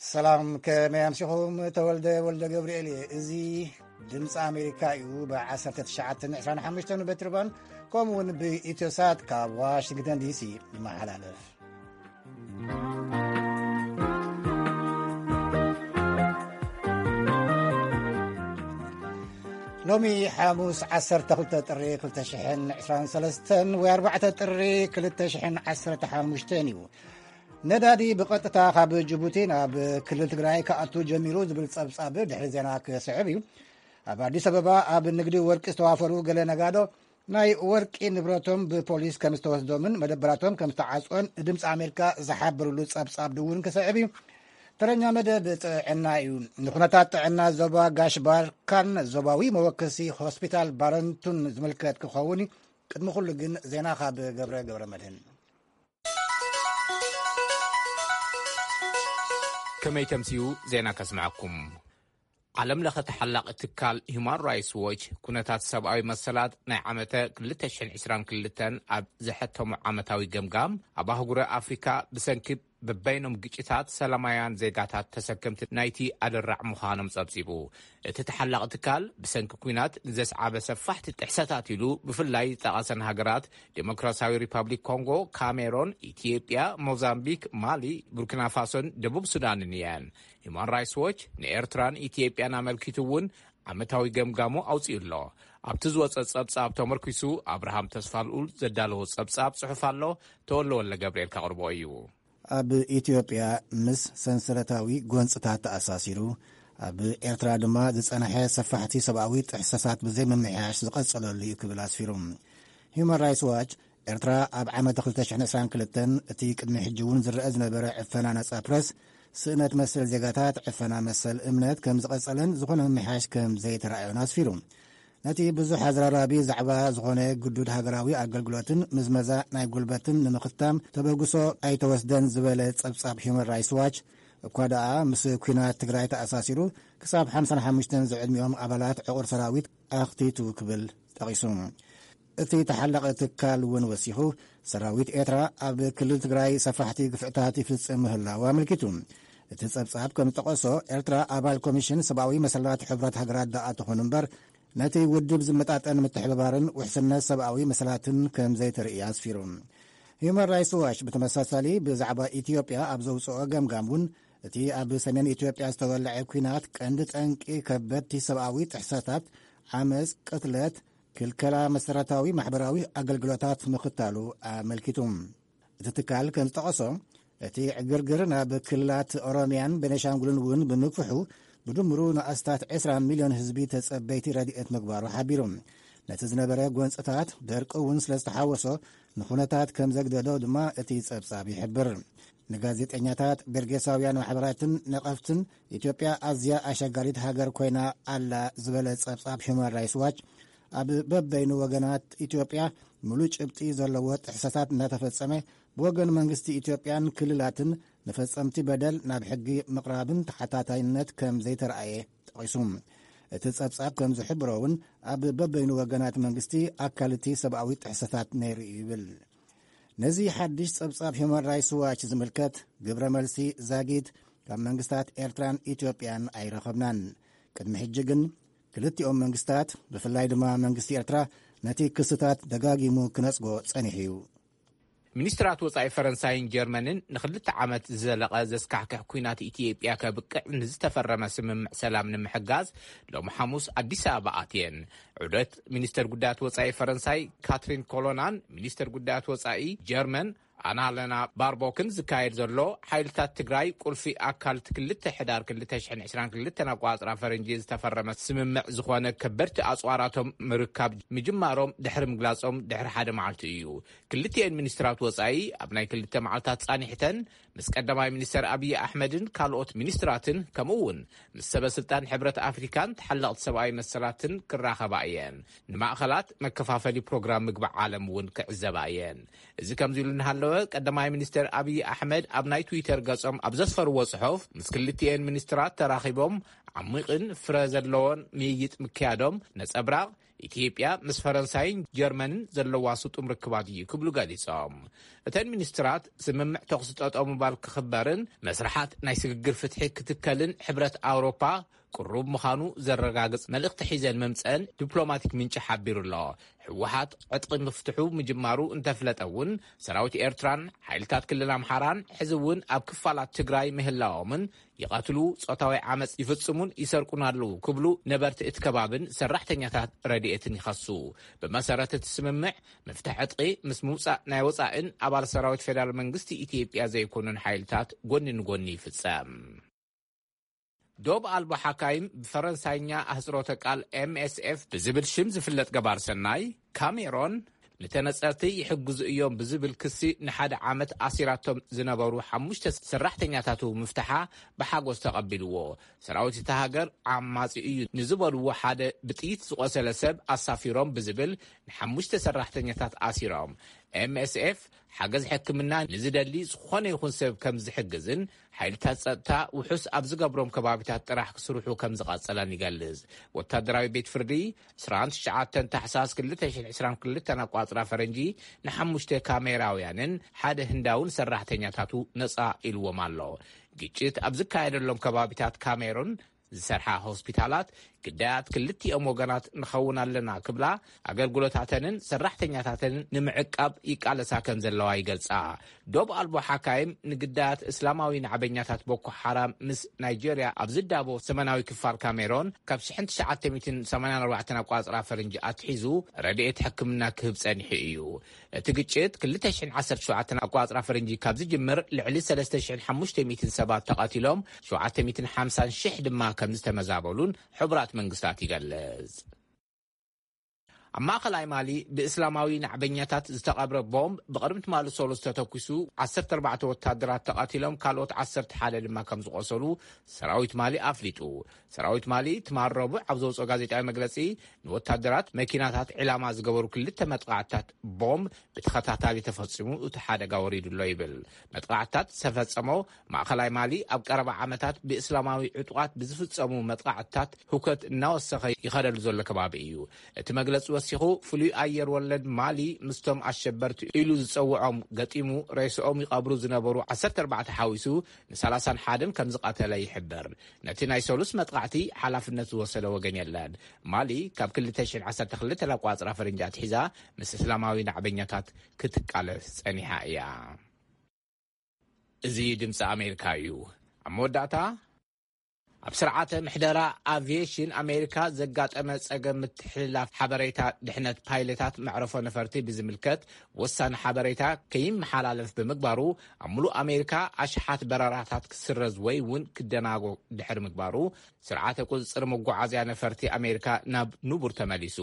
ሰላም፣ ከመይ ኣምሲኹም? ተወልደ ወልደ ገብርኤል እየ። እዚ ድምፂ ኣሜሪካ እዩ። ብ1925 ሜትር ባንድ ከምኡ እውን ብኢትዮሳት ካብ ዋሽንግተን ዲሲ ይመሓላለፍ። ሎሚ ሓሙስ 12 ጥሪ 2023 ወይ 4 ጥሪ 2015 እዩ። ነዳዲ ብቐጥታ ካብ ጅቡቲ ናብ ክልል ትግራይ ክኣቱ ጀሚሩ ዝብል ጸብጻብ ድሕሪ ዜና ክስዕብ እዩ። ኣብ ኣዲስ ኣበባ ኣብ ንግዲ ወርቂ ዝተዋፈሩ ገለ ነጋዶ ናይ ወርቂ ንብረቶም ብፖሊስ ከም ዝተወስዶምን መደበራቶም ከም ዝተዓጽወን ድምፂ ኣሜሪካ ዝሓበሩሉ ጸብጻብ ድውን ክስዕብ እዩ። ተረኛ መደብ ጥዕና እዩ። ንኩነታት ጥዕና ዞባ ጋሽ ባርካን ዞባዊ መወከሲ ሆስፒታል ባረንቱን ዝምልከት ክኸውን እዩ። ቅድሚ ኩሉ ግን ዜና ካብ ገብረ ገብረ መድህን። ከመይ ተምስዩ ዜና ከስምዐኩም። ዓለም ለኸ ተሓላቒ ትካል ሁማን ራይትስ ዎች ኩነታት ሰብኣዊ መሰላት ናይ ዓመተ 2022 ኣብ ዘሐተሙ ዓመታዊ ገምጋም፣ ኣብ ኣህጉረ ኣፍሪካ ብሰንኪ በበይኖም ግጭታት ሰላማውያን ዜጋታት ተሰከምቲ ናይቲ ኣደራዕ ምዃኖም ጸብጺቡ። እቲ ተሓላቒ ትካል ብሰንኪ ኲናት ንዘስዓበ ሰፋሕቲ ጥሕሰታት ኢሉ ብፍላይ ዝጠቐሰን ሃገራት ዴሞክራሲያዊ ሪፓብሊክ ኮንጎ፣ ካሜሮን፣ ኢትዮጵያ፣ ሞዛምቢክ፣ ማሊ፣ ቡርኪና ፋሶን ደቡብ ሱዳንን እየን። ሁማን ራይትስ ዎች ንኤርትራን ኢትዮጵያን ኣመልኪቱ እውን ዓመታዊ ገምጋሙ ኣውጺኡ ኣሎ። ኣብቲ ዝወጸ ጸብጻብ ተመርኪሱ ኣብርሃም ተስፋልኡል ዘዳለዎ ጸብጻብ ጽሑፍ ኣሎ። ተወለ ወልደ ገብርኤል ከቕርቦ እዩ። ኣብ ኢትዮጵያ ምስ ሰንሰለታዊ ጎንጽታት ተኣሳሲሩ፣ ኣብ ኤርትራ ድማ ዝጸንሐ ሰፋሕቲ ሰብኣዊ ጥሕሰታት ብዘይ ምምሕያሽ ዝቐጸለሉ እዩ ክብል ኣስፊሩ። ሁማን ራይትስ ዋች፣ ኤርትራ ኣብ ዓመት 2022 እቲ ቅድሚ ሕጂ እውን ዝረአ ዝነበረ ዕፈና ነጻ ፕረስ፣ ስእነት መሰል ዜጋታት፣ ዕፈና መሰል እምነት ከም ዝቐጸለን ዝኾነ ምምሕያሽ ከም ዘይተረኣዮን ኣስፊሩ። ነቲ ብዙሕ ኣዘራራቢ ዛዕባ ዝኾነ ግዱድ ሃገራዊ ኣገልግሎትን ምዝመዛ ናይ ጉልበትን ንምኽታም ተበግሶ ኣይተወስደን ዝበለ ጸብጻብ ሁማን ራይትስ ዋች፣ እኳ ደኣ ምስ ኲናት ትግራይ ተኣሳሲሩ ክሳብ 55 ዝዕድሚኦም ኣባላት ዕቑር ሰራዊት ኣኽቲቱ ክብል ጠቒሱ። እቲ ተሓላቒ ትካል እውን ወሲኹ፣ ሰራዊት ኤርትራ ኣብ ክልል ትግራይ ሰፋሕቲ ግፍዕታት ይፍጽም ምህላው ኣመልኪቱ። እቲ ጸብጻብ ከም ዝጠቐሶ፣ ኤርትራ ኣባል ኮሚሽን ሰብኣዊ መሰላት ሕብረት ሃገራት ደኣ ትኹን እምበር፣ ነቲ ውድብ ዝመጣጠን ምትሕብባርን ውሕስነት ሰብኣዊ መሰላትን ከም ዘይተርኢ ኣስፊሩ። ሁማን ራይትስ ዋች ብተመሳሳሊ ብዛዕባ ኢትዮጵያ ኣብ ዘውፅኦ ገምጋም እውን፣ እቲ ኣብ ሰሜን ኢትዮጵያ ዝተወለዐ ኲናት ቀንዲ ጠንቂ ከበድቲ ሰብኣዊ ጥሕሰታት፣ ዓመፅ፣ ቅትለት፣ ክልከላ መሰረታዊ ማሕበራዊ ኣገልግሎታት ምኽታሉ ኣመልኪቱ። እቲ ትካል ከም ዝጠቐሶ፣ እቲ ዕግርግር ናብ ክልላት ኦሮሚያን ቤኒሻንጉልን እውን ብምግፍሑ፣ ብድምሩ ንኣስታት 20 ሚልዮን ህዝቢ ተጸበይቲ ረድኤት ምግባሩ ሓቢሩ። ነቲ ዝነበረ ጎንጽታት፣ ደርቂ እውን ስለ ዝተሓወሶ፣ ንኹነታት ከም ዘግደዶ ድማ እቲ ጸብጻብ ይሕብር። ንጋዜጠኛታት፣ ቤርጌሳውያን ማሕበራትን ነቐፍትን፣ ኢትዮጵያ ኣዝያ ኣሸጋሪት ሃገር ኮይና ኣላ ዝበለ ጸብጻብ ሁማን ራይትስ ዋች፣ ኣብ በበይኑ ወገናት ኢትዮጵያ ምሉእ ጭብጢ ዘለዎ ጥሕሰታት እናተፈጸመ፣ ብወገን መንግስቲ ኢትዮጵያን ክልላትን ንፈጸምቲ በደል ናብ ሕጊ ምቕራብን ተሓታታይነት ከም ዘይተረኣየ ጠቒሱ። እቲ ጸብጻብ ከም ዝሕብሮ እውን፣ ኣብ በበይኑ ወገናት መንግስቲ ኣካል እቲ ሰብኣዊ ጥሕሰታት ነይሩ እዩ ይብል። ነዚ ሓድሽ ጸብጻብ ሁማን ራይትስ ዋች ዝምልከት ግብረ መልሲ ዛጊት ካብ መንግስታት ኤርትራን ኢትዮጵያን ኣይረኸብናን። ቅድሚ ሕጂ ግን ክልቲኦም መንግስታት፣ ብፍላይ ድማ መንግስቲ ኤርትራ፣ ነቲ ክስታት ደጋጊሙ ክነጽጎ ጸኒሑ እዩ። ሚኒስትራት ወጻኢ ፈረንሳይን ጀርመንን ንክልተ ዓመት ዝዘለቐ ዘስካሕክሕ ኲናት ኢትዮጵያ ከብቅዕ ንዝተፈረመ ስምምዕ ሰላም ንምሕጋዝ ሎም ሓሙስ ኣዲስ ኣበባ ኣትየን። ዑደት ሚኒስተር ጉዳያት ወጻኢ ፈረንሳይ ካትሪን ኮሎናን ሚኒስተር ጉዳያት ወጻኢ ጀርመን ኣናለና ባርቦክን ዝካየድ ዘሎ፣ ሓይልታት ትግራይ ቁልፊ ኣካል ክልተ ሕዳር 2022 ኣቋጽራ ፈረንጂ ዝተፈረመ ስምምዕ ዝኾነ ከበድቲ ኣጽዋራቶም ምርካብ ምጅማሮም ድሕሪ ምግላጾም ድሕሪ ሓደ መዓልቲ እዩ። ክልቲኤን ሚኒስትራት ወጻኢ ኣብ ናይ ክልተ መዓልታት ጻኒሕተን ምስ ቀዳማይ ሚኒስተር ኣብይ ኣሕመድን ካልኦት ሚኒስትራትን ከምኡ እውን ምስ ሰበ ስልጣን ሕብረት ኣፍሪካን ተሓለቕቲ ሰብኣዊ መሰላትን ክራኸባ እየን። ንማእኸላት መከፋፈሊ ፕሮግራም ምግቢ ዓለም እውን ክዕዘባ እየን። እዚ ከምዚ ኢሉ እናሃለወ ቀዳማይ ሚኒስትር ኣብይ ኣሕመድ ኣብ ናይ ትዊተር ገጾም ኣብ ዘስፈርዎ ጽሑፍ፣ ምስ ክልቲኤን ሚኒስትራት ተራኺቦም ዓሚቕን ፍረ ዘለዎን ምይይጥ ምክያዶም ነጸብራቕ ኢትዮጵያ ምስ ፈረንሳይን ጀርመንን ዘለዋ ስጡም ርክባት እዩ ክብሉ ገሊጾም። እተን ሚኒስትራት ስምምዕ ተኹሲ ጠጠው ምባል ክኽበርን መስርሓት ናይ ስግግር ፍትሒ ክትከልን ሕብረት ኣውሮፓ ቅሩብ ምዃኑ ዘረጋግጽ መልእኽቲ ሒዘን ምምጸን ዲፕሎማቲክ ምንጪ ሓቢሩ ኣሎ። ህወሓት ዕጥቂ ምፍትሑ ምጅማሩ እንተፍለጠ እውን፣ ሰራዊት ኤርትራን ሓይልታት ክልል ኣምሓራን ሕዚ እውን ኣብ ክፋላት ትግራይ ምህላዎምን ይቐትሉ፣ ጾታዊ ዓመጽ ይፍጽሙን ይሰርቁን ኣለዉ ክብሉ ነበርቲ እቲ ከባብን ሰራሕተኛታት ረድኤትን ይኸሱ። ብመሰረት እቲ ስምምዕ፣ ምፍታሕ ዕጥቂ ምስ ምውጻእ ናይ ወጻእን ኣባል ሰራዊት ፌደራል መንግስቲ ኢትዮጵያ ዘይኮኑን ሓይልታት ጎኒ ንጎኒ ይፍጸም። ዶብ ኣልቦ ሓካይም፣ ብፈረንሳይኛ ኣህጽሮተ ቃል ኤምኤስኤፍ ብዝብል ሽም ዝፍለጥ ገባር ሰናይ፣ ካሜሮን ንተነጸርቲ ይሕግዙ እዮም ብዝብል ክሲ ንሓደ ዓመት ኣሲራቶም ዝነበሩ ሓሙሽተ ሰራሕተኛታቱ ምፍትሓ ብሓጎስ ተቐቢልዎ። ሰራዊት እታ ሃገር ዓማጺ እዩ ንዝበልዎ ሓደ ብጥይት ዝቖሰለ ሰብ ኣሳፊሮም ብዝብል ንሓሙሽተ ሰራሕተኛታት ኣሲሮም። ኤምኤስኤፍ ሓገዝ ሕክምና ንዝደሊ ዝኾነ ይኹን ሰብ ከም ዝሕግዝን ሓይልታት ጸጥታ ውሑስ ኣብ ዝገብሮም ከባቢታት ጥራሕ ክስርሑ ከም ዝቐጸለን ይገልጽ። ወታደራዊ ቤት ፍርዲ ዕስራን ትሽዓተን ታሕሳስ ክልተ ሽሕን ዕስራን ክልተን ኣቋጽራ ፈረንጂ ንሓሙሽተ ካሜራውያንን ሓደ ህንዳውን ሰራሕተኛታቱ ነጻ ኢልዎም ኣሎ። ግጭት ኣብ ዝካየደሎም ከባቢታት ካሜሩን ዝሰርሓ ሆስፒታላት ግዳያት ክልቲኦም ወገናት ንኸውን ኣለና ክብላ፣ ኣገልግሎታተንን ሰራሕተኛታተንን ንምዕቃብ ይቃለሳ ከም ዘለዋ ይገልጻ። ዶብ ኣልቦ ሓካይም ንግዳያት እስላማዊ ናዕበኛታት ቦኮ ሓራም ምስ ናይጄርያ ኣብ ዝዳቦ ሰሜናዊ ክፋል ካሜሮን ካብ ሽሕን ትሽዓተ ሚእትን ሰማንያን ኣርባዕተን ኣቋጽራ ፈረንጂ ኣትሒዙ ረድኤት ሕክምና ክህብ ጸኒሑ እዩ። እቲ ግጭት ክልተ ሽሕን ዓሰርተ ሸውዓተን ኣቋጽራ ፈረንጂ ካብ ዝጅምር ልዕሊ ሰለስተ ሽሕን ሓሙሽተ ሚእትን ሰባት ተቐቲሎም፣ ሸውዓተ ሚእትን ሓምሳን ሽሕ ድማ ከም ዝተመዛበሉን ሕቡራት መንግስታት ይገልጽ። ኣብ ማእኸላይ ማሊ ብእስላማዊ ናዕበኛታት ዝተቐብረ ቦምብ ብቕድሚ ትማሊ ሰሉስ ተተኲሱ ዓሰርተ ኣርባዕተ ወታደራት ተቐቲሎም፣ ካልኦት ዓሰርተ ሓደ ድማ ከም ዝቖሰሉ ሰራዊት ማሊ ኣፍሊጡ። ሰራዊት ማሊ ትማል ረቡዕ ኣብ ዘውፅኦ ጋዜጣዊ መግለፂ፣ ንወታደራት መኪናታት ዒላማ ዝገበሩ ክልተ መጥቓዕትታት ቦምብ ብተኸታታሊ ተፈፂሙ እቲ ሓደጋ ወሪዱ ኣሎ ይብል። መጥቓዕትታት ዝተፈጸሞ ማእኸላይ ማሊ ኣብ ቀረባ ዓመታት ብእስላማዊ ዕጡቓት ብዝፍጸሙ መጥቓዕትታት ህውከት እናወሰኸ ይኸደሉ ዘሎ ከባቢ እዩ። እቲ መግለጺ ወሲኹ፣ ፍሉይ ኣየር ወለድ ማሊ ምስቶም ኣሸበርቲ ኢሉ ዝጸውዖም ገጢሙ ሬስኦም ይቐብሩ ዝነበሩ ዓሰርተ ኣርባዕተ ሓዊሱ ንሰላሳን ሓደን ከም ዝቐተለ ይሕበር። ነቲ ናይ ሰሉስ መጥቓዕቲ ሓላፍነት ዝወሰደ ወገን የለን። ማሊ ካብ ክልተ ሽሕን ዓሰርተ ክልተን ኣቋጽራ ፈረንጂ ኣትሒዛ ምስ እስላማዊ ናዕበኛታት ክትቃለስ ጸኒሓ እያ። እዚ ድምፂ ኣሜሪካ እዩ። ኣብ መወዳእታ፣ ኣብ ስርዓተ ምሕደራ ኣቪዬሽን ኣሜሪካ ዘጋጠመ ጸገም ምትሕልላፍ ሓበሬታ ድሕነት ፓይለታት መዕረፎ ነፈርቲ ብዝምልከት ወሳኒ ሓበሬታ ከይመሓላለፍ ብምግባሩ፣ ኣብ ሙሉእ ኣሜሪካ ኣሽሓት በረራታት ክስረዝ ወይ እውን ክደናጎ ድሕሪ ምግባሩ፣ ስርዓተ ቁጽጽር መጓዓዝያ ነፈርቲ ኣሜሪካ ናብ ንቡር ተመሊሱ።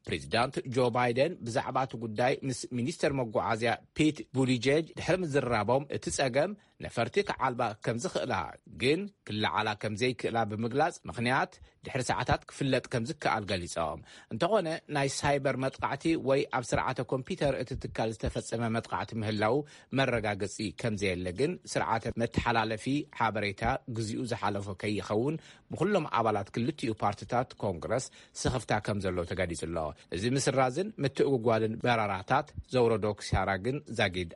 ፕሬዚዳንት ጆ ባይደን ብዛዕባ እቲ ጉዳይ ምስ ሚኒስተር መጓዓዝያ ፒት ቡቲጀጅ ድሕሪ ምዝርራቦም፣ እቲ ጸገም ነፈርቲ ክዓልባ ከም ዝኽእላ ግን ክለዓላ ከም ዘይክእላ ብምግላጽ፣ ምኽንያት ድሕሪ ሰዓታት ክፍለጥ ከም ዝከኣል ገሊጾም። እንተኾነ፣ ናይ ሳይበር መጥቃዕቲ ወይ ኣብ ስርዓተ ኮምፒተር እቲ ትካል ዝተፈጸመ መጥቃዕቲ ምህላው መረጋገጺ ከም ዘየለ ግን፣ ስርዓተ መተሓላለፊ ሓበሬታ ግዚኡ ዝሓለፎ ከይኸውን ብኩሎም ኣባላት ክልቲኡ ፓርቲታት ኮንግረስ ስኽፍታ ከም ዘሎ ተገሊጹ ኣሎ። እዚ ምስራዝን ምትእጉጓልን በረራታት ዘውረዶ ክሳራ ግን ዛጊድ።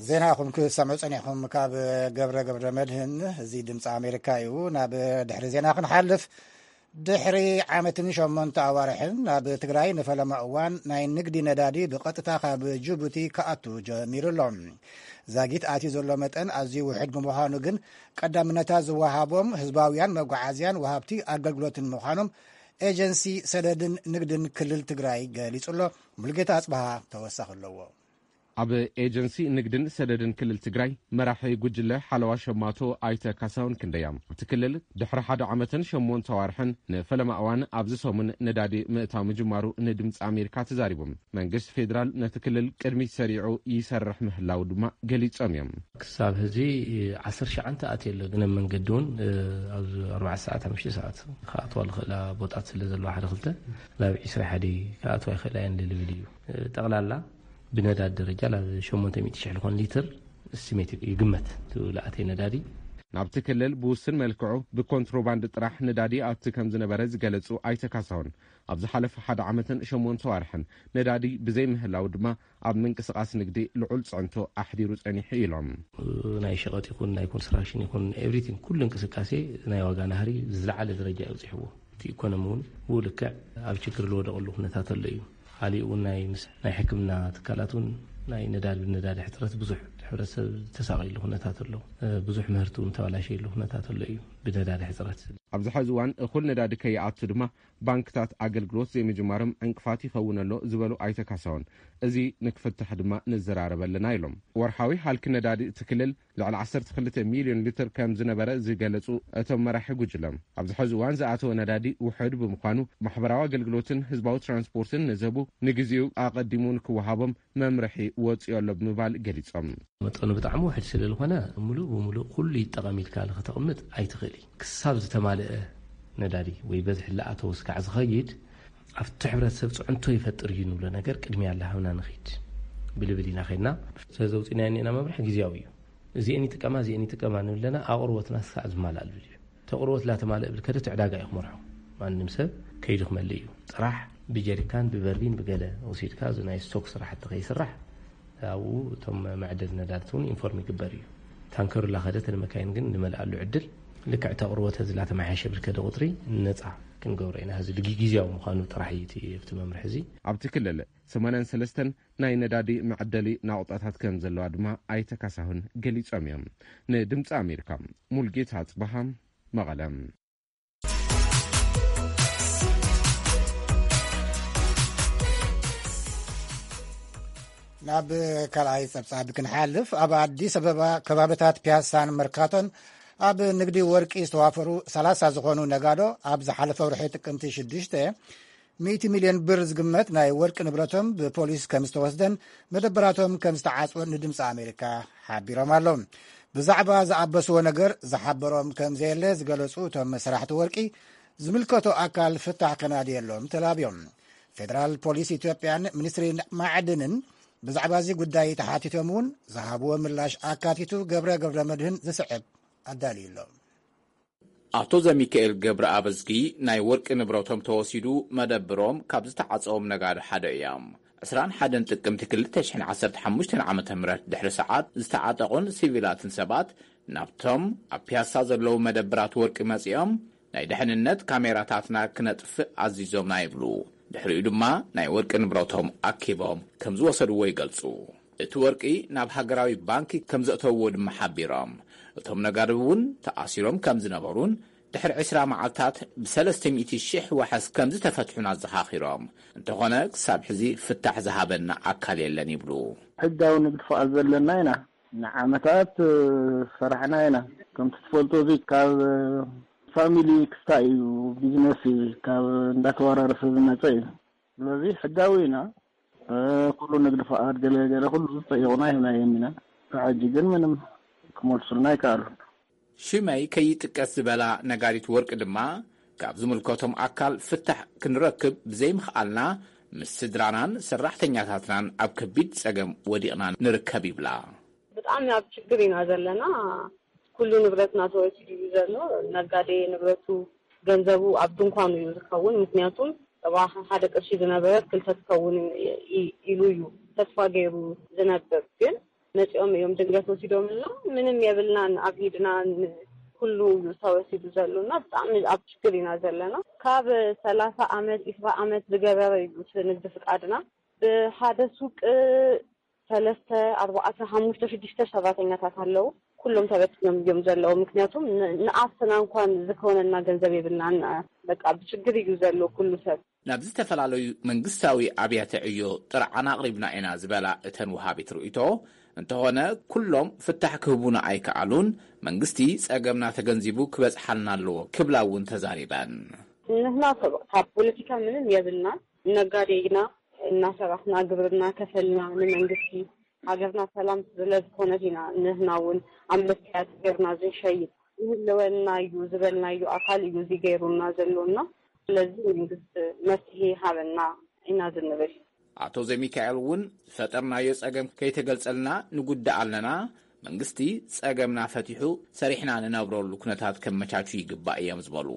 ዜና ኢኹም ክሰምዑ ጸኒሕኩም ካብ ገብረ ገብረ መድህን። እዚ ድምፂ ኣሜሪካ እዩ። ናብ ድሕሪ ዜና ክንሓልፍ፣ ድሕሪ ዓመትን ሸሞንተ ኣዋርሕን ናብ ትግራይ ንፈለማ እዋን ናይ ንግዲ ነዳዲ ብቐጥታ ካብ ጅቡቲ ክኣቱ ጀሚሩ ኣሎ። ዛጊት ኣትዩ ዘሎ መጠን ኣዝዩ ውሑድ ብምዃኑ ግን ቀዳምነታት ዝወሃቦም ህዝባውያን መጓዓዝያን ወሃብቲ ኣገልግሎትን ምዃኖም ኤጀንሲ ሰደድን ንግድን ክልል ትግራይ ገሊጹ ኣሎ። ሙልጌታ ኣጽበሃ ተወሳኺ ኣለዎ። ኣብ ኤጀንሲ ንግድን ሰደድን ክልል ትግራይ መራሒ ጉጅለ ሓለዋ ሸማቶ ኣይተ ካሳሁን ክንደያ፣ እቲ ክልል ድሕሪ ሓደ ዓመትን ሸሞንተ ኣዋርሕን ንፈለማ እዋን ኣብዚ ሰሙን ነዳዲ ምእታው ምጅማሩ ንድምፂ ኣሜሪካ ተዛሪቦም። መንግስቲ ፌዴራል ነቲ ክልል ቅድሚት ሰሪዑ ይሰርሕ ምህላው ድማ ገሊጾም እዮም። ክሳብ ሕዚ ዓሰርተ ሸዓተ ኣትየ ኣሎ፣ ግን ኣብ መንገዲ እውን ኣብ ኣርባዕተ ሰዓት ሓሙሽተ ሰዓት ክኣትዋ ዝኽእላ ቦታት ስለ ዘለዋ ሓደ ክልተ ናብ ዒስራ ሓደ ክኣትዋ ይኽእላ እየን ልብል እዩ። ጠቕላላ ብነዳዲ ደረጃ ናብ ሸሞንተ ሚእቲ ሽሕ ዝኾን ሊትር እስቲሜት ይግመት እቲ ዝኣተየ ነዳዲ። ናብቲ ክልል ብውስን መልክዑ ብኮንትሮባንድ ጥራሕ ነዳዲ ኣቲ ከም ዝነበረ ዝገለጹ ኣይተ ካሳሁን፣ ኣብ ዝሓለፈ ሓደ ዓመትን ሸሞንተ ዋርሕን ነዳዲ ብዘይምህላው ድማ ኣብ ምንቅስቓስ ንግዲ ልዑል ጽዕንቶ ኣሕዲሩ ጸኒሑ ኢሎም። ናይ ሸቐጥ ይኹን ናይ ኮንስትራክሽን ይኹን ኤቭሪቲንግ ኩሉ እንቅስቃሴ ናይ ዋጋ ናህሪ ዝለዓለ ደረጃ እዩ ኣብፂሕዎ። እቲ ኢኮኖሚ እውን ብኡ ልክዕ ኣብ ችግር ዝወደቐሉ ኩነታት ኣሎ እዩ። ካሊእ እውን ናይ ምስ ናይ ሕክምና ትካላት እውን ናይ ነዳዲ ብነዳዲ ሕፅረት ብዙሕ ሕብረተሰብ ተሳቒሉ ኩነታት ኣሎ። ብዙሕ ምህርቲ እውን ተባላሸየሉ ኩነታት ኣሎ እዩ ብነዳዲ ሕፅረት። ኣብዚ ሐዚ እዋን እኹል ነዳዲ ከይኣቱ ድማ ባንክታት ኣገልግሎት ዘይምጅማሮም ዕንቅፋት ይኸውን ኣሎ ዝበሉ ኣይተ ካሳሁን፣ እዚ ንክፍታሕ ድማ ንዘራረብ ኣለና ኢሎም። ወርሓዊ ሃልኪ ነዳዲ እቲ ክልል ልዕሊ ዓሰርተ ክልተ ሚልዮን ሊትር ከም ዝነበረ ዝገለጹ እቶም መራሒ ጉጅለ፣ ኣብዚ ሐዚ እዋን ዝኣተወ ነዳዲ ውሑድ ብምዃኑ ማሕበራዊ ኣገልግሎትን ህዝባዊ ትራንስፖርትን ንዝህቡ ንግዜኡ ኣቐዲሙ ንክወሃቦም መምርሒ ወፂኡ ኣሎ ብምባል ገሊጾም። መጠኑ ብጣዕሚ ውሕድ ስለ ዝኾነ ሙሉእ ብሙሉእ ኩሉ ይጠቐም ኢልካ ከተቕምጥ ኣይትኽእል እዩ። ክሳብ ዝተማልአ ነዳዲ ወይ በዝሒ ላኣተወ ስካዕ ዝኸይድ ኣብቲ ሕብረተሰብ ፅዕንቶ ይፈጥር እዩ ንብሎ ነገር ቅድሚያ ላሃብና ንኺድ ብልብል ኢና ኸድና። ስለዚ ኣውፂእናዮ እኒአና መምርሒ ግዜያዊ እዩ። እዚአን ይጥቀማ እዚአን ይጥቀማ ንብለና ኣቕርቦትና ስካዕ ዝማላእ ልብል እዩ። ተቕርቦት ላተማልእ ብል ከደ ዕዳጋ እዩ ክመርሖ። ማንም ሰብ ከይዱ ክመልእ እዩ። ጥራሕ ብጀሪካን ብበርቢን ብገለ ወሲድካ እዚ ናይ ስቶክ ስራሕቲ ከይስራሕ ኣብኡ እቶም መዕደሊ ነዳድቲ እውን ኢንፎርም ይግበር እዩ። ታንከሩ ላኸደት ንመካይን ግን ንመልኣሉ ዕድል ልክዕ እቲ ኣቕርቦት እዚ ላተመሓየሸ ብልከደ ቁፅሪ ነፃ ክንገብሮ ኢና። እዚ ግዜያዊ ምዃኑ ጥራሕ እዩ እቲ ኣብቲ መምርሒ እዚ። ኣብቲ ክልል ሰማንያን ሰለስተን ናይ ነዳዲ መዕደሊ ናቑጣታት ከም ዘለዋ ድማ ኣይተ ካሳሁን ገሊጾም እዮም። ንድምፂ ኣሜሪካ ሙልጌታ ኣፅበሃ መቐለ። ናብ ካልኣይ ጸብጻብ ክንሓልፍ፣ ኣብ ኣዲስ ኣበባ ከባብታት ፒያሳን መርካቶን ኣብ ንግዲ ወርቂ ዝተዋፈሩ ሰላሳ ዝኾኑ ነጋዶ ኣብ ዝሓለፈ ወርሒ ጥቅምቲ ሽዱሽተ ሚእቲ ሚልዮን ብር ዝግመት ናይ ወርቂ ንብረቶም ብፖሊስ ከም ዝተወስደን መደበራቶም ከም ዝተዓጽወን ንድምፂ ኣሜሪካ ሓቢሮም ኣለዉ። ብዛዕባ ዝኣበስዎ ነገር ዝሓበሮም ከም ዘየለ ዝገለጹ እቶም ሰራሕቲ ወርቂ፣ ዝምልከቶ ኣካል ፍታሕ ከናድየሎም ተላብዮም። ፌደራል ፖሊስ ኢትዮጵያን ሚኒስትሪ ማዕድንን ብዛዕባ እዚ ጉዳይ ተሓቲቶም እውን ዝሃብዎ ምላሽ ኣካቲቱ ገብረ ገብረ መድህን ዝስዕብ ኣዳልዩ ኣሎ። ኣቶ ዘሚካኤል ገብረ ኣበዝጊ ናይ ወርቂ ንብረቶም ተወሲዱ መደብሮም ካብ ዝተዓጸዎም ነጋዶ ሓደ እዮም። ዕስራን ሓደን ጥቅምቲ ክልተ ሽሕን ዓሰርተ ሓሙሽተን ዓመተ ምህረት ድሕሪ ሰዓት ዝተዓጠቑን ሲቪላትን ሰባት ናብቶም ኣብ ፒያሳ ዘለዉ መደብራት ወርቂ መጺኦም ናይ ድሕንነት ካሜራታትና ክነጥፍእ ኣዚዞምና ይብሉ። ድሕሪኡ ድማ ናይ ወርቂ ንብረቶም ኣኪቦም ከም ዝወሰድዎ ይገልጹ። እቲ ወርቂ ናብ ሃገራዊ ባንኪ ከም ዘእተውዎ ድማ ሓቢሮም። እቶም ነጋዶ እውን ተኣሲሮም ከም ዝነበሩን ድሕሪ ዕስራ መዓልታት ብሰለስተ ሚእቲ ሽሕ ዋሕስ ከም ዝተፈትሑን ኣዘኻኺሮም። እንተኾነ ክሳብ ሕዚ ፍታሕ ዝሃበና ኣካል የለን ይብሉ። ሕጋዊ ንግዲ ፍቓድ ዘለና ኢና። ንዓመታት ዝሰራሕና ኢና። ከምቲ ትፈልጦ እዚ ካብ ፋሚሊ ክስታይ እዩ፣ ቢዝነስ እዩ፣ ካብ እንዳተወራረሰ ዝመፀ እዩ። ስለዚ ሕጋዊ ኢና። ኩሉ ንግዲ ፍቓድ ገለ ገለ ኩሉ ዝጠየቑና ሂብናዮም ኢና። ካብ ሕጂ ግን ምንም ክመልሱልና ኣይከኣሉን። ሽመይ ከይጥቀስ ዝበላ ነጋዲት ወርቂ ድማ ካብ ዝምልከቶም ኣካል ፍታሕ ክንረክብ ብዘይምኽኣልና ምስ ስድራናን ሰራሕተኛታትናን ኣብ ከቢድ ጸገም ወዲቕና ንርከብ ይብላ። ብጣዕሚ ኣብ ችግር ኢና ዘለና። ኩሉ ንብረትና ተወሲዱ እዩ ዘሎ። ነጋዴ ንብረቱ ገንዘቡ ኣብ ድንኳኑ እዩ ዝኸውን። ምክንያቱም እባ ሓደ ቅርሺ ዝነበረት ክልተ ትኸውን ኢሉ እዩ ተስፋ ገይሩ ዝነብር። ግን መፂኦም እዮም ድንገት ወሲዶምልና። ምንም የብልናን ኣብ ኢድናን። ኩሉ እዩ ተወሲዱ ዘሎና። ብጣዕሚ ኣብ ችግር ኢና ዘለና። ካብ ሰላሳ ዓመት ዒስራ ዓመት ዝገበረ እዩ እቲ ንግዲ ፍቃድና። ብሓደ ሱቅ ሰለስተ ኣርባዕተ ሓሙሽተ ሽዱሽተ ሰራተኛታት ኣለዉ። ኩሎም ተበትኖም እዮም ዘለዉ። ምክንያቱም ን- ንኣስና እንኳን ዝከውነና ገንዘብ የብልናን። በቃ ብችግር እዩ ዘሎ ኩሉ ሰብ። ናብ ዝተፈላለዩ መንግስታዊ ኣብያተ ዕዮ ጥርዓን ኣቕሪብና ኢና ዝበላ እተን ወሃቢት ርእይቶ፣ እንተኾነ ኩሎም ፍታሕ ክህቡና ኣይከኣሉን፣ መንግስቲ ጸገምና ተገንዚቡ ክበጽሓልና ኣለዎ ክብላ እውን ተዛሪበን። ንሕና ሰብ ካብ ፖለቲካ ምንም የብልና፣ ነጋዴ ኢና፣ እናሰራሕና ግብርና ከፈልና ንመንግስቲ። ሃገርና ሰላም ስለ ዝኾነት ኢና ንሕና እውን ኣብ መስትያት ገርና ዝንሸይጥ። ይህልወና እዩ ዝበልናዮ ኣካል እዩ እዚ ገይሩና ዘሎና። ስለዚ መንግስቲ መፍትሄ ሃበና ኢና ዝንብል። ኣቶ ዘሚካኤል እውን ዝፈጠርናዮ ጸገም ከይተገልጸልና ንጉዳእ ኣለና። መንግስቲ ጸገምና ፈቲሑ ሰሪሕና ንነብረሉ ኩነታት ከመቻቹ ይግባእ እዮም ዝበሉ።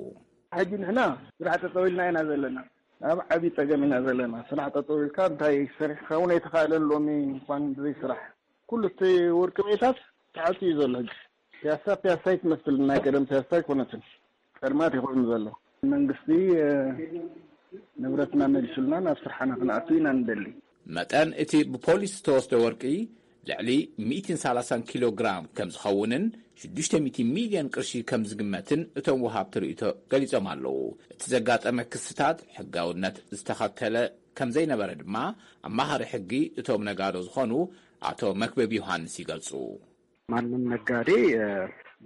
ሕጂ ንሕና ስራሕ ጠጠው ኢልና ኢና ዘለና። ኣብ ዓብዪ ጸገም ኢና ዘለና። ስራሕ ጠጠው ኢልካ እንታይ ሰሪሕካ እውን ኣይተኻእለን። ሎሚ እንኳን ብዘይ ስራሕ ኩሉ እቲ ወርቂ ቤታት ተዓፅዩ ዘሎ ሕጂ። ፒያሳ ፒያሳ ኣይትመስልን፣ ናይ ቀደም ፒያሳ ኣይኮነትን። ጸልማት ይኾኑ ዘሎ። መንግስቲ ንብረትና መሊሱልና ናብ ስርሓና ክንኣቱ ኢና ንደሊ። መጠን እቲ ብፖሊስ ዝተወስደ ወርቂ ልዕሊ ሚእትን ሰላሳን ኪሎ ግራም ከም ዝኸውንን ሽዱሽተ ሚእቲ ሚልዮን ቅርሺ ከም ዝግመትን እቶም ወሃብቲ ርእይቶ ገሊጾም ኣለዉ። እቲ ዘጋጠመ ክስታት ሕጋውነት ዝተኸተለ ከም ዘይነበረ ድማ ኣማኻሪ ሕጊ እቶም ነጋዶ ዝኾኑ ኣቶ መክብብ ዮሃንስ ይገልጹ። ማንም ነጋዴ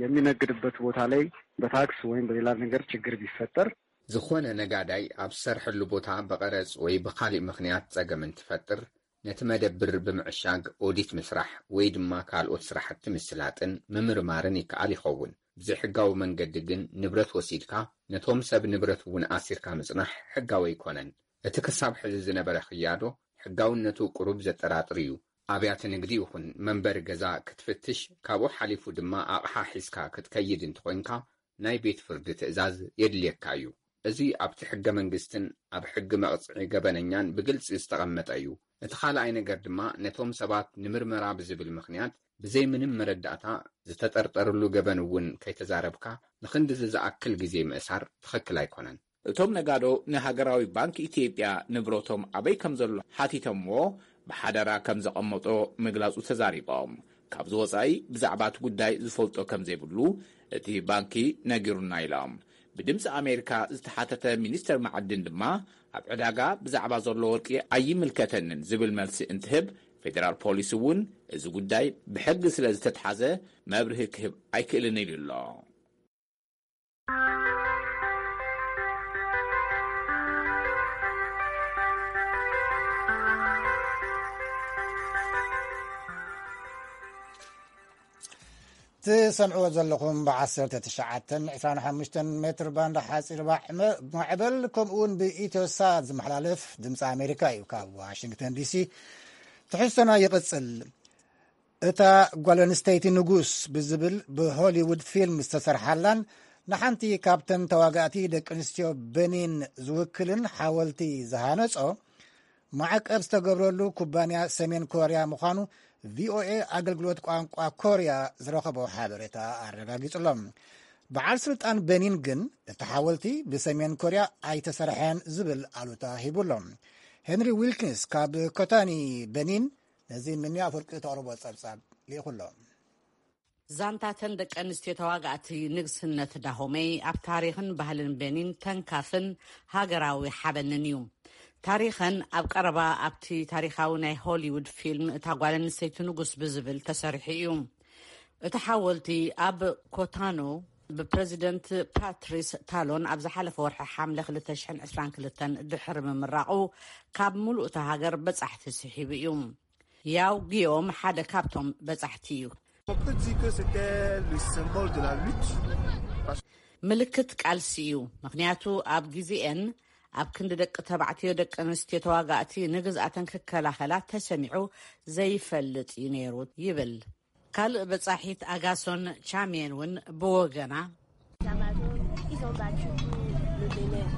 የሚነግድበት ቦታ ላይ በታክስ ወይም በሌላ ነገር ችግር ቢፈጠር ዝኾነ ነጋዳይ ኣብ ዝሰርሐሉ ቦታ ብቐረጽ ወይ ብኻሊእ ምኽንያት ጸገም እንትፈጥር፣ ነቲ መደብር ብምዕሻግ ኦዲት ምስራሕ ወይ ድማ ካልኦት ስራሕቲ ምስላጥን ምምርማርን ይከኣል ይኸውን። ብዘይሕጋዊ መንገዲ ግን ንብረት ወሲድካ፣ ነቶም ሰብ ንብረት እውን ኣሲርካ ምጽናሕ ሕጋዊ ኣይኮነን። እቲ ክሳብ ሕዚ ዝነበረ ክያዶ ሕጋውነቱ ቁሩብ ዘጠራጥር እዩ። ኣብያተ ንግዲ ይኹን መንበሪ ገዛ ክትፍትሽ፣ ካብኡ ሓሊፉ ድማ ኣቕሓ ሒዝካ ክትከይድ እንተኾይንካ፣ ናይ ቤት ፍርዲ ትእዛዝ የድልየካ እዩ። እዚ ኣብቲ ሕገ መንግስትን ኣብ ሕጊ መቕጽዒ ገበነኛን ብግልጺ ዝተቐመጠ እዩ። እቲ ካልኣይ ነገር ድማ ነቶም ሰባት ንምርመራ ብዝብል ምኽንያት ብዘይ ምንም መረዳእታ ዝተጠርጠርሉ ገበን እውን ከይተዛረብካ ንኽንድዚ ዝኣክል ግዜ ምእሳር ትኽክል ኣይኮነን። እቶም ነጋዶ ንሃገራዊ ባንክ ኢትዮጵያ ንብረቶም ኣበይ ከም ዘሎ ሓቲቶምዎ ብሓደራ ከም ዘቐመጦ ምግላጹ ተዛሪቦም። ካብዚ ወጻኢ ብዛዕባ እቲ ጉዳይ ዝፈልጦ ከም ዘይብሉ እቲ ባንኪ ነጊሩና ኢሎም። ብድምፂ ኣሜሪካ ዝተሓተተ ሚኒስተር መዓድን ድማ ኣብ ዕዳጋ ብዛዕባ ዘሎ ወርቂ ኣይምልከተንን ዝብል መልሲ እንትህብ፣ ፌደራል ፖሊስ እውን እዚ ጉዳይ ብሕጊ ስለ ዝተትሓዘ መብርሂ ክህብ ኣይክእልን ኢሉ ኣሎ። ትሰምዕዎ ዘለኹም ብ19 25 ሜትር ባንድ ሓፂር ባዕ መ-፣ ማዕበል፣ ከምኡ እውን ብኢትዮሳት ዝመሓላለፍ ድምፂ ኣሜሪካ እዩ። ካብ ዋሽንግተን ዲሲ ትሕዝቶና ይቕፅል። እታ ጓል ኣንስተይቲ ንጉስ ብዝብል ብሆሊውድ ፊልም ዝተሰርሓላን ንሓንቲ ካብተን ተዋጋእቲ ደቂ ኣንስትዮ በኒን ዝውክልን ሓወልቲ ዝሃነጾ ማዕቀብ ዝተገብረሉ ኩባንያ ሰሜን ኮርያ ምዃኑ ቪኦኤ ኣገልግሎት ቋንቋ ኮርያ ዝረኸቦ ሓበሬታ ኣረጋጊጹ ኣሎ። በዓል ስልጣን በኒን ግን እቲ ሓወልቲ ብሰሜን ኮርያ ኣይተሰርሐን ዝብል ኣሉታ ሂቡ ኣሎ። ሄንሪ ዊልኪንስ ካብ ኮታኒ በኒን ነዚ ምንያ ፍርቂ ተቕርቦ ጸብጻብ ልኢኹ ኣሎ። ዛንታተን ደቂ ኣንስትዮ ተዋጋእቲ ንግስነት ዳሆመይ ኣብ ታሪኽን ባህልን ቤኒን ተንካፍን ሃገራዊ ሓበንን እዩ። ታሪኸን ኣብ ቀረባ ኣብቲ ታሪኻዊ ናይ ሆሊውድ ፊልም እታ ጓል ኣንስተይቲ ንጉስ ብዝብል ተሰሪሑ እዩ። እቲ ሓወልቲ ኣብ ኮታኖ ብፕረዚደንት ፓትሪስ ታሎን ኣብ ዝሓለፈ ወርሒ ሓምለ ክልተ ሽሕን ዕስራን ክልተን ድሕሪ ምምራቑ ካብ ምሉእ እታ ሃገር በጻሕቲ ስሒቡ እዩ። ያው ጊዮም ሓደ ካብቶም በጻሕቲ እዩ። On peut dire que c'était le symbole de la lutte. ምልክት ቃልሲ እዩ። ምኽንያቱ ኣብ ግዜኤን ኣብ ክንዲ ደቂ ተባዕትዮ ደቂ ኣንስትዮ ተዋጋእቲ ንግዝኣተን ክከላኸላ ተሰሚዑ ዘይፈልጥ እዩ ነይሩ ይብል። ካልእ በጻሒት ኣጋሶን ቻሜን እውን ብወገና፣ Ils ont battu pour le Bénin.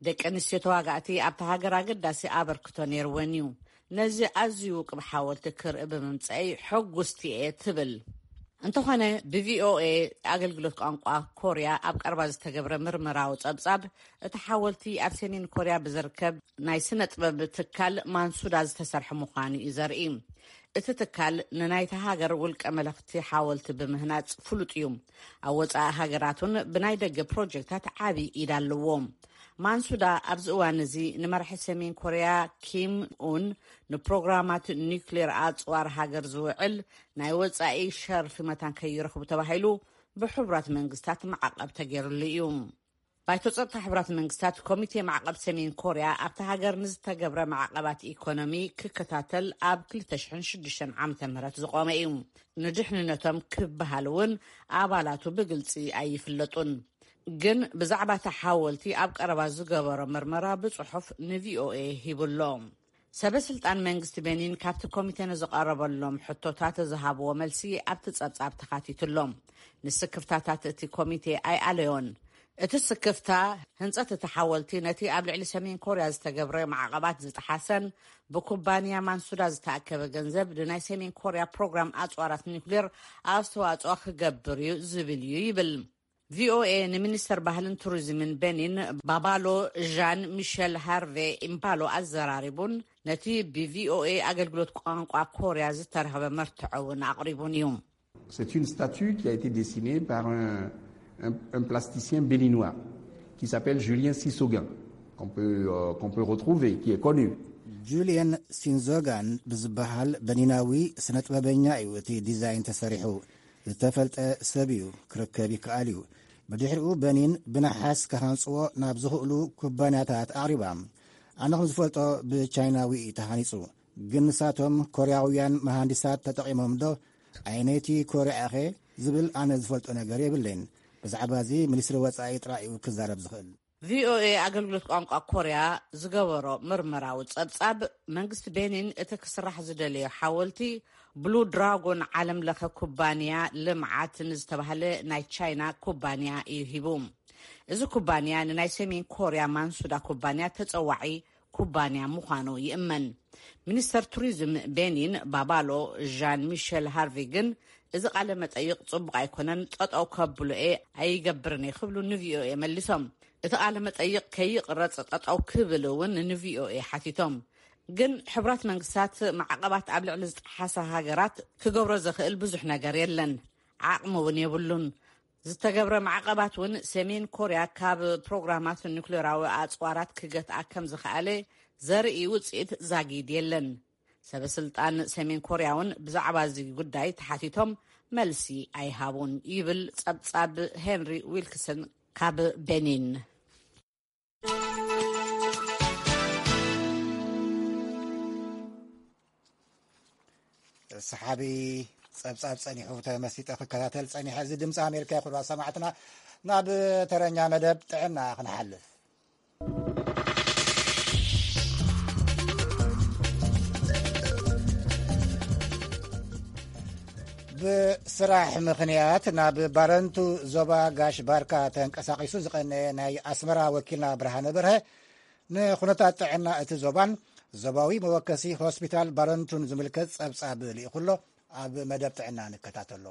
ደቂ ኣንስትዮ ተዋጋእቲ ኣብቲ ሃገር ኣገዳሲ ኣበርክቶ ነይርወን እዩ። ነዚ ኣዝዩ ውቅብ ሓወልቲ ክርኢ ብምምፀአይ ሕጉስቲ እየ ትብል። እንተኾነ፣ ብቪኦኤ ኣገልግሎት ቋንቋ ኮርያ ኣብ ቀረባ ዝተገብረ ምርመራዊ ጸብጻብ፣ እቲ ሓወልቲ ኣብ ሰሜን ኮርያ ብዝርከብ ናይ ስነ ጥበብ ትካል ማንሱዳ ዝተሰርሐ ምዃኑ እዩ ዘርኢ። እቲ ትካል ንናይታ ሃገር ውልቀ መለኽቲ ሓወልቲ ብምህናጽ ፍሉጥ እዩ። ኣብ ወጻኢ ሃገራት እውን ብናይ ደገ ፕሮጀክታት ዓቢ ኢድ ኣለዎ። ማንሱዳ ኣብዚ እዋን እዚ ንመራሒ ሰሜን ኮርያ ኪም ኡን ንፕሮግራማት ኒውክሌር ኣጽዋር ሃገር ዝውዕል ናይ ወጻኢ ሸርፊ መታን ከይረኽቡ ተባሂሉ ብሕቡራት መንግስታት ማዕቐብ ተገይሩሉ እዩ። ባይቶ ጸጥታ ሕቡራት መንግስታት ኮሚቴ ማዕቐብ ሰሜን ኮርያ ኣብቲ ሃገር ንዝተገብረ ማዕቐባት ኢኮኖሚ ክከታተል ኣብ ክልተ ሽሕን ሽዱሽተን ዓመተ ምህረት ዝቖመ እዩ። ንድሕንነቶም ክበሃል እውን ኣባላቱ ብግልጺ ኣይፍለጡን። ግን ብዛዕባ እቲ ሓወልቲ ኣብ ቀረባ ዝገበሮ ምርመራ ብጽሑፍ ንቪኦኤ ሂቡሎ። ሰበ ስልጣን መንግስቲ ቤኒን ካብቲ ኮሚቴ ንዝቐረበሎም ሕቶታት ዝሃብዎ መልሲ ኣብቲ ጸብጻብ ተኻቲቱሎም። ንስክፍታታት እቲ ኮሚቴ ኣይኣለዮን። እቲ ስክፍታ ህንጸት እቲ ሓወልቲ ነቲ ኣብ ልዕሊ ሰሜን ኮርያ ዝተገብረ ማዕቐባት ዝጠሓሰን ብኩባንያ ማንሱዳ ዝተኣከበ ገንዘብ ንናይ ሰሜን ኮርያ ፕሮግራም ኣጽዋራት ኒውክሌር ኣስተዋጽኦ ክገብር እዩ ዝብል እዩ ይብል። ቪኦኤ ንሚኒስተር ባህልን ቱሪዝምን ቤኒን ባባሎ ዣን ሚሸል ሃርቬ ኢምባሎ ኣዘራሪቡን ነቲ ብቪኦኤ ኣገልግሎት ቋንቋ ኮርያ ዝተረኸበ መርትዖ እውን ኣቕሪቡን እዩ። C'est une statue qui a été dessinée par un, un- un plasticien béninois qui s'appelle Julien Sissoguin, qu'on peut, euh, qu'on peut retrouver, qui est connu. ጁልየን ሲንዞጋን ብዝበሃል በኒናዊ ስነ ጥበበኛ እዩ እቲ ዲዛይን ተሰሪሑ። ዝተፈልጠ ሰብ እዩ፣ ክርከብ ይከኣል እዩ። ብድሕሪኡ በኒን ብነሓስ ክሃንጽዎ ናብ ዝኽእሉ ኩባንያታት ኣቕሪባ። ኣነ ከም ዝፈልጦ ብቻይናዊ እዩ ተሃኒጹ። ግን ንሳቶም ኮርያውያን መሃንዲሳት ተጠቒሞም ዶ? ኣየነይቲ ኮርያ ኢኸ ዝብል ኣነ ዝፈልጦ ነገር የብለይን። ብዛዕባ እዚ ሚኒስትሪ ወጻኢ ጥራይ እዩ ክዛረብ ዝኽእል። ቪኦኤ ኣገልግሎት ቋንቋ ኮርያ ዝገበሮ ምርመራዊ ጸብጻብ፣ መንግስቲ ቤኒን እቲ ክስራሕ ዝደለዮ ሓወልቲ ብሉ ድራጎን ዓለም ለኸ ኩባንያ ልምዓት ንዝተባህለ ናይ ቻይና ኩባንያ እዩ ሂቡ። እዚ ኩባንያ ንናይ ሰሜን ኮርያ ማንሱዳ ኩባንያ ተጸዋዒ ኩባንያ ምዃኑ ይእመን። ሚኒስተር ቱሪዝም ቤኒን ባባሎ ዣን ሚሸል ሃርቪ ግን እዚ ቃለ መጠይቕ ጽቡቕ ኣይኮነን፣ ጠጠው ከብሎ እየ ኣይገብርን እየ ክብሉ ንቪኦኤ መሊሶም። እቲ ቃለ መጠይቕ ከይቕረጽ ጠጠው ክብል እውን ንቪኦኤ ሓቲቶም። ግን ሕቡራት መንግስታት ማዕቐባት ኣብ ልዕሊ ዝጠሓሳ ሃገራት ክገብሮ ዘኽእል ብዙሕ ነገር የለን፣ ዓቕሚ እውን የብሉን። ዝተገብረ ማዕቐባት እውን ሰሜን ኮርያ ካብ ፕሮግራማት ኒኩሌራዊ ኣፅዋራት ክገትኣ ከም ዝኸኣለ ዘርኢ ውፅኢት ዛጊድ የለን። ሰበ ስልጣን ሰሜን ኮርያ እውን ብዛዕባ እዚ ጉዳይ ተሓቲቶም መልሲ ኣይሃቡን ይብል ፀብፃብ ሄንሪ ዊልክሰን ካብ ቤኒን። ሰሓቢ ፀብፃብ ፀኒሑ ተመሲጠ ክከታተል ፀኒሐ። እዚ ድምፂ ኣሜሪካ ይኹን ሰማዕትና። ናብ ተረኛ መደብ ጥዕና ክንሓልፍ። ብስራሕ ምኽንያት ናብ ባረንቱ ዞባ ጋሽ ባርካ ተንቀሳቒሱ ዝቐነየ ናይ ኣስመራ ወኪልና ብርሃነ በርሀ ንኩነታት ጥዕና እቲ ዞባን ዞባዊ መወከሲ ሆስፒታል ባረንቱን ዝምልከት ጸብጻብ ልኢኹ ኣሎ። ኣብ መደብ ጥዕና ንከታተሎ።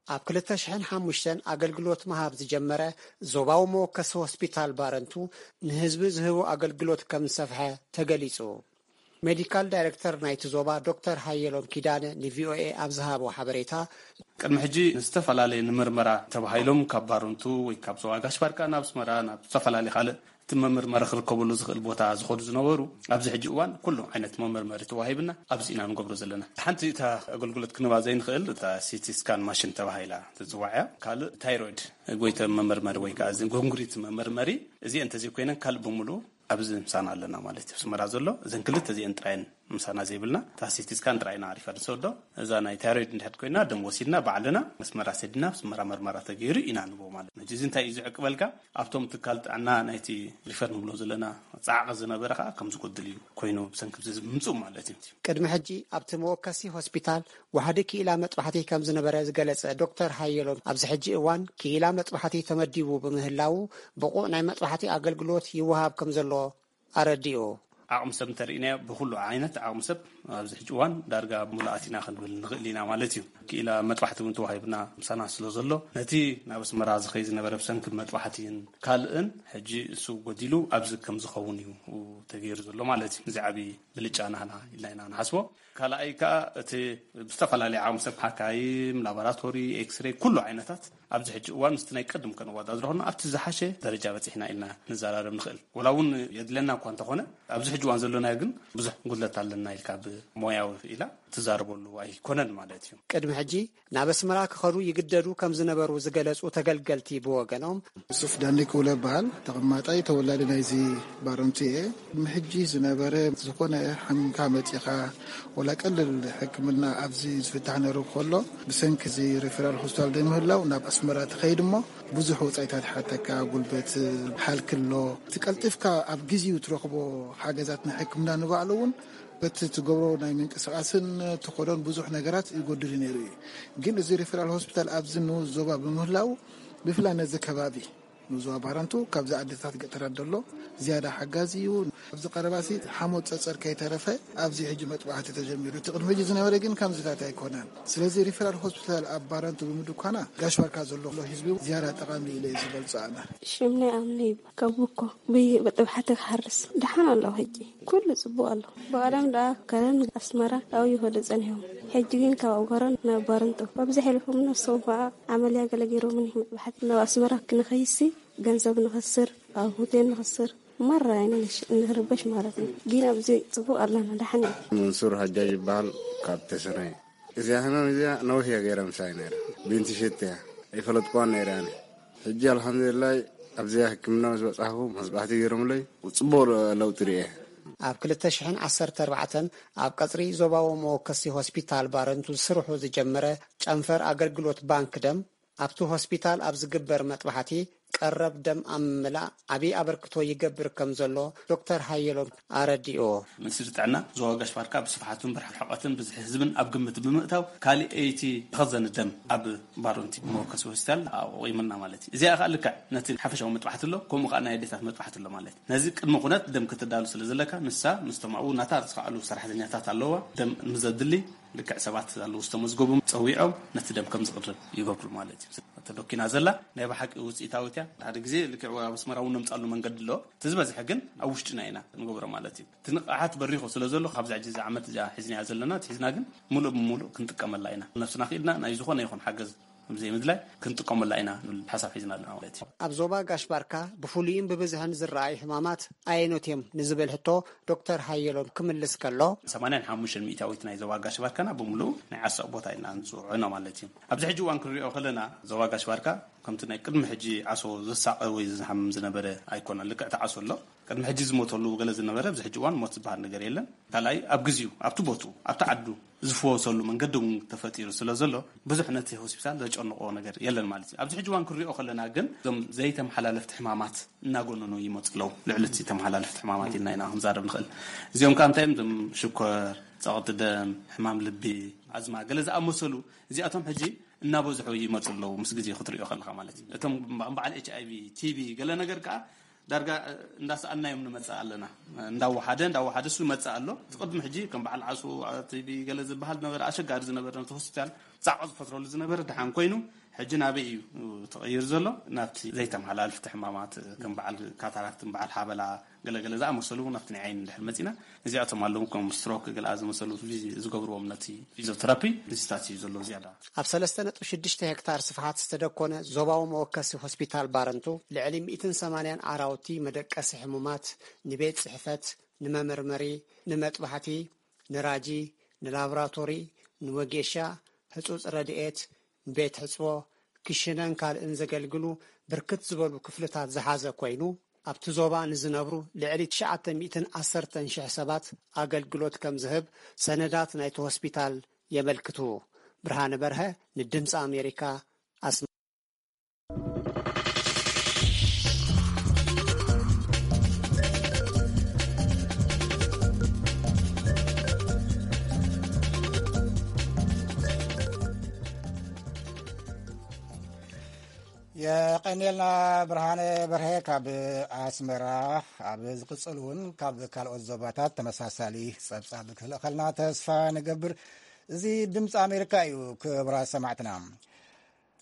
ኣብ ክልተ ሽሕን ሓሙሽተን ኣገልግሎት ምሃብ ዝጀመረ ዞባዊ መወከሲ ሆስፒታል ባረንቱ ንህዝቢ ዝህቦ ኣገልግሎት ከም ዝሰፍሐ ተገሊጹ። ሜዲካል ዳይረክተር ናይቲ ዞባ ዶክተር ሃየሎም ኪዳነ ንቪኦኤ ኣብ ዝሃቦ ሓበሬታ፣ ቅድሚ ሕጂ ንዝተፈላለየ ንምርመራ ተባሂሎም ካብ ባረንቱ ወይ ካብ ዞባ ጋሽ ባርካ ናብ ኣስመራ ናብ ዝተፈላለዩ ካልእ እቲ መመርመሪ ክርከበሉ ዝኽእል ቦታ ዝኸዱ ዝነበሩ፣ ኣብዚ ሕጂ እዋን ኩሉ ዓይነት መመርመሪ ተዋሂብና ኣብዚ ኢና ንገብሮ ዘለና። ሓንቲ እታ ኣገልግሎት ክንባ ዘይንኽእል እታ ሲቲ ስካን ማሽን ተባሂላ ትጽዋዕ እያ። ካልእ ታይሮይድ ጎይተ መመርመሪ ወይ ከዓ እዚ ጎንጉሪት መመርመሪ፣ እዚአን እንተዘይኮይነን ካልእ ብምሉኡ ኣብዚ ምሳና ኣለና ማለት እዩ። ኣስመራ ዘሎ እዘን ክልተ እዚአን ጥራየን ምሳና ዘይብልና፣ እታ ሲቲ ስካን ጥራይና ኣሪፋ ንሰዶ። እዛ ናይ ታይሮይድ እንድሕር ኮይና ደም ወሲድና ባዕልና ኣስመራ ሰዲና ኣስመራ መርመራ ተገይሩ ኢና ንቦ ማለት ነው። እዚ እንታይ እዩ ዝዕቅበልካ? ኣብቶም ትካል ጥዕና ናይቲ ሪፈር ንብሎ ዘለና ጻዕቂ ዝነበረ ከዓ ከም ዝጎድል እዩ ኮይኑ ብሰንኪ እዚ ምምፅኡ ማለት እዩ። ቅድሚ ሕጂ ኣብቲ መወከሲ ሆስፒታል ዋሕዲ ክኢላ መጥባሕቲ ከም ዝነበረ ዝገለጸ ዶክተር ሃየሎም፣ ኣብዚ ሕጂ እዋን ክኢላ መጥባሕቲ ተመዲቡ ብምህላዉ ብቑዕ ናይ መጥባሕቲ ኣገልግሎት ይወሃብ ከም ዘሎ ኣረዲኡ። ዓቕሚ ሰብ እንተርኢናዮ፣ ብኹሉ ዓይነት ዓቕሚ ሰብ ኣብዚ ሕጂ እዋን ዳርጋ ሙሉኣት ኢና ክንብል ንኽእል ኢና ማለት እዩ። ክኢላ መጥባሕቲ እውን ተዋሂብና ምሳና ስለ ዘሎ፣ ነቲ ናብ ኣስመራ ዝኸይ ዝነበረ ብሰንኪ መጥባሕቲን ካልእን ሕጂ እሱ ጎዲሉ ኣብዚ ከም ዝኸውን እዩ ተገይሩ ዘሎ ማለት እዩ። እዚ ዓቢ ብልጫ ናህና ኢልና ኢና ንሓስቦ። ካልኣይ ከኣ እቲ ብዝተፈላለየ ዓቕሚ ሰብ ሓካይም፣ ላቦራቶሪ፣ ኤክስሬይ፣ ኩሉ ዓይነታት ኣብዚ ሕጂ እዋን ምስቲ ናይ ቅድም ከነወዳድሮ ከለና ኣብቲ ዝሓሸ ደረጃ በጺሕና ኢልና ንዘራረብ ንኽእል። ወላ እውን የድለና እኳ እንተኾነ፣ ኣብዚ ሕጂ እዋን ዘለናዮ ግን ብዙሕ ጉድለት ኣለና ኢልካ ብሞያዊ ኢላ ትዛረበሉ ኣይኮነን ማለት እዩ። ቅድሚ ሕጂ ናብ ኣስመራ ክኸዱ ይግደዱ ከም ዝነበሩ ዝገለጹ ተገልገልቲ ብወገኖም፣ ዩሱፍ ዳንዲ ክውለ በሃል፣ ተቐማጣይ ተወላዲ ናይዚ ባረንቱ እየ። ቅድሚ ሕጂ ዝነበረ ዝኾነ ሓሚምካ መጺኻ፣ ወላ ቀልል ሕክምና ኣብዚ ዝፍታሕ ነሩ ከሎ፣ ብሰንኪ እዚ ሪፈራል ሆስፒታል ዘይምህላው ናብ ኣስመራ ትኸይድ እሞ፣ ብዙሕ ወጻኢታት ሓተካ፣ ጉልበት፣ ሃልኪ ኣሎ። እቲ ቀልጢፍካ ኣብ ግዜኡ ትረኽቦ ሓገዛት ናይ ሕክምና ንባዕሉ እውን በቲ ትገብሮ ናይ ምንቅስቃስን ትኸዶን ብዙሕ ነገራት ይጎድል ነይሩ እዩ። ግን እዚ ሪፈራል ሆስፒታል ኣብዚ ንኡስ ዞባ ብምህላው፣ ብፍላይ ነዚ ከባቢ ንኡስ ዞባ ባረንቱ ካብዚ ዓድታት ገጠራት ዘሎ ዝያዳ ሓጋዚ እዩ። ኣብዚ ቀረባሲ ሓሞት ጸጸር ከይተረፈ ኣብዚ ሕጂ መጥባሕቲ ተጀሚሩ። እቲ ቅድሚ ሕጂ ዝነበረ ግን ከምዚታት ኣይኮነን። ስለዚ ሪፈራል ሆስፒታል ኣብ ባረንቱ ብምድኳና ጋሽ ባርካ ዘሎ ህዝቢ ዝያዳ ጠቓሚ ኢለ እየ ዝገልጾ ኣነ። ሽምናይ ኣምነ ይባል። ካብ እኮ ብይ-፣ ብጥብሓተ ክሓርስ ደሓን ኣለኹ ሕጂ። ኩሉ ጽቡቕ ኣሎ። ብቐደም ደኣ ከረን ኣስመራ ኣብኡ ይኸዱ ጸኒሖም። ሕጂ ግን ካብ ኣጎረን ናብ ባረንቱ በብዝሕ ኢልኩም ነሶም ኸኣ ዓመልያ ገለ ገይሮምን እዮም። መጥባሕቲ ናብ ኣስመራ ክንኸይሲ ገንዘብ ንኸስር፣ ኣብ ሆቴል ንኸስር፣ ማራ ኢና ንሽ-፣ ንርበሽ ማለት እዩ። ግን ኣብዚ ጽቡቕ ኣለና፣ ደሓን እዩ። መንሱር ሓጃጅ ይበሃል፣ ካብ ተሰነይ። እዚኣ ሕማም እዚኣ ነዊሕ እያ ገይራ ምሳይ ነይራ። ብንትሸት እያ። ኣይፈለጥኩዋን ነይረ ኣነ። ሕጂ ኣልሓምዱሊላህ ኣብዚኣ ሕክምና ምስ በጻሕኩ መስባሕቲ ገይሮምለይ ጽቡቕ ለውጢ ርእየ። ኣብ ክልተ ሽሕን ዓሰርተ ኣርባዕተን ኣብ ቀጽሪ ዞባዊ መወከሲ ሆስፒታል ባረንቱ ስርሑ ዝጀመረ ጨንፈር ኣገልግሎት ባንክ ደም ኣብቲ ሆስፒታል ኣብ ዝግበር መጥባሕቲ ቀረብ ደም ኣብ ምምላእ ዓቢ ኣበርክቶ ይገብር ከም ዘሎ ዶክተር ሃየሎም ኣረዲኦ። ሚኒስትሪ ጥዕና ዞባ ጋሽ ባርካ ብስፍሓቱን ብርሕቀትን ብዝሒ ህዝብን ኣብ ግምት ብምእታው፣ ካልኣይቲ መኸዘኒ ደም ኣብ ባሮንቲ መወከሲ ሆስፒታል ኣቑሙልና ማለት እዩ። እዚኣ ከኣ ልክዕ ነቲ ሓፈሻዊ መጥባሕቲ ኣሎ፣ ከምኡ ከኣ ናይ ኣዴታት መጥባሕቲ ኣሎ ማለት እዩ። ነዚ ቅድመ ኩነት ደም ክትዳሉ ስለ ዘለካ፣ ንሳ ምስቶም ኣብኡ ናታ ዝኸኣሉ ሰራሕተኛታት ኣለዋ። ደም ንዘድሊ ልክዕ ሰባት ኣለዉ ዝተመዝገቡ ጸዊዖም ነቲ ደም ከም ዝቕርብ ይገብሩ ማለት እዩ። ተደኪና ዘላ ናይ ብሓቂ ውጽኢታዊት እያ። ሓደ ግዜ ልክዕ ኣብ ኣስመራ እውን ነምጻሉ መንገዲ ኣሎ። እቲ ዝበዝሐ ግን ኣብ ውሽጥና ኢና ንገብሮ ማለት እዩ። እቲ ንቕሓት በሪኹ ስለ ዘሎ፣ ካብዛ ሕጂ እዛ ዓመት እዚኣ ሒዝናያ ዘለና፣ እቲ ሒዝና ግን ምሉእ ብምሉእ ክንጥቀመላ ኢና። ነብስና ክኢልና ናይ ዝኾነ ይኹን ሓገዝ ዘይምድላይ ክንጥቀመላ ኢና ንብል ሓሳብ ሒዝና ኣለና ማለት እዩ። ኣብ ዞባ ጋሽ ባርካ ብፍሉይን ብብዝሕን ዝረኣዩ ሕማማት ኣየኖት እዮም ንዝብል ሕቶ ዶክተር ሃየሎም ክምልስ ከሎ፣ ሰማንያን ሓሙሽተን ሚእታዊት ናይ ዞባ ጋሽ ባርካና ብምሉኡ ናይ ዓሶ ቦታ ኢልና ንፅውዖ ኢና ማለት እዩ። ኣብዚ ሕጂ እዋን ክንሪኦ ከለና ዞባ ጋሽ ባርካ ከምቲ ናይ ቅድሚ ሕጂ ዓሶ ዘሳቐ ወይ ዝሃም ዝነበረ ኣይኮነን። ልክዕ እቲ ዓሶ ኣሎ። ቅድሚ ሕጂ ዝሞተሉ ገለ ዝነበረ ኣብዚ ሕጂ እዋን ሞት ዝበሃል ነገር የለን። ካልኣይ ኣብ ግዜኡ ኣብቲ ቦትኡ ኣብቲ ዓዱ ዝፍወሰሉ መንገዲ እውን ተፈጢሩ ስለ ዘሎ ብዙሕ ነቲ ሆስፒታል ዘጨንቆ ነገር የለን ማለት እዩ። ኣብዚ ሕጂ እዋን ክንሪኦ ከለና ግን እዞም ዘይተመሓላለፍቲ ሕማማት እናጎነኑ ይመፁ ኣለዉ። ልዕሊ እቲ ተመሓላለፍቲ ሕማማት ኢልና ኢና ክንዛረብ ንኽእል። እዚኦም ከዓ እንታይ እዮም? እዞም ሽኮር፣ ጸቕጢ ደም፣ ሕማም ልቢ፣ ኣዝማ ገለ ዝኣመሰሉ እዚኣቶም ሕጂ እናበዝሑ ይመፁ ኣለዉ። ምስ ግዜ ክትሪኦ ከለኻ ማለት እዩ። እቶም በዓል ኤች ኣይ ቪ፣ ቲ ቢ ገለ ነገር ከዓ ዳርጋ እንዳሰኣናዮም ንመጽእ ኣለና። እንዳወሓደ እንዳወሓደ እሱ ይመጽእ ኣሎ። እቲ ቅድሚ ሕጂ ከም በዓል ዓሶ፣ ቲ ቢ ገለ ዝበሃል ነበረ፣ ኣሸጋሪ ዝነበረ ነቲ ሆስፒታል ጻዕቆ ዝፈጥረሉ ዝነበረ ደሓን ኮይኑ ሕጂ ናበይ እዩ ተቐይሩ ዘሎ? ናብቲ ዘይተመሓላልፍቲ ሕማማት ከም በዓል ካታራክትን በዓል ሓበላ ገለገለ ዝኣመሰሉ ናብቲ ናይ ዓይኒ እንድሕር መጺና እዚኣቶም ኣለዉ ከም ስትሮክ ገለኣ ዝመሰሉ ፊዚ-፣ ዝገብርዎም ነቲ ፊዚዮተራፒ ንስታት እዩ ዘሎ ዝያዳ። ኣብ ሰለስተ ነጥቢ ሽዱሽተ ሄክታር ስፍሓት ዝተደኮነ ዞባዊ መወከሲ ሆስፒታል ባረንቱ ልዕሊ ሚእትን ሰማንያን ዓራውቲ መደቀሲ ሕሙማት፣ ንቤት ጽሕፈት፣ ንመመርመሪ፣ ንመጥባሕቲ፣ ንራጂ፣ ንላቦራቶሪ፣ ንወጌሻ፣ ህጹጽ ረድኤት፣ ንቤት ሕጽቦ፣ ክሽነን ካልእን ዘገልግሉ ብርክት ዝበሉ ክፍልታት ዝሓዘ ኮይኑ፣ ኣብቲ ዞባ ንዝነብሩ ልዕሊ ትሽዓተ ሚእትን ዓሰርተን ሽሕ ሰባት ኣገልግሎት ከም ዝህብ ሰነዳት ናይቲ ሆስፒታል የመልክቱ። ብርሃነ በርሀ ንድምፂ ኣሜሪካ፣ ኣስመራ። የቐኔልና ብርሃነ በርሀ ካብ ኣስመራ። ኣብ ዝቕጽል እውን ካብ ካልኦት ዞባታት ተመሳሳሊ ጸብጻብ ክልእኸልና ተስፋ ንገብር። እዚ ድምፂ ኣሜሪካ እዩ። ክብራ ሰማዕትና፣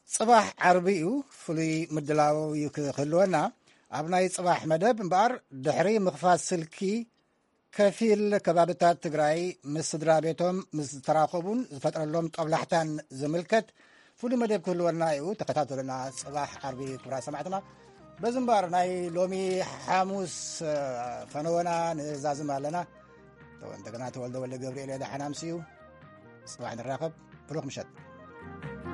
ጽባሕ ዓርቢ እዩ። ፍሉይ ምድላው እዩ ክህልወና። ኣብ ናይ ጽባሕ መደብ እምበኣር፣ ድሕሪ ምኽፋት ስልኪ ከፊል ከባብታት ትግራይ ምስ ስድራ ቤቶም ምስ ዝተራኸቡን ዝፈጥረሎም ጦብላሕታን ዝምልከት ፍሉይ መደብ ክህልወና እዩ። ተኸታተሉና። ጽባሕ ዓርቢ ክብራ ሰማዕትና። በዚ እምበኣር፣ ናይ ሎሚ ሓሙስ፣ እ፣ ፈነወና ንዛዝም ኣለና። ተወ-፣ እንደገና ተወልደ ወልደ ገብርኤል ደሓን ኣምስዩ። ጽባሕ ንራኸብ። ብሩኽ ምሸት።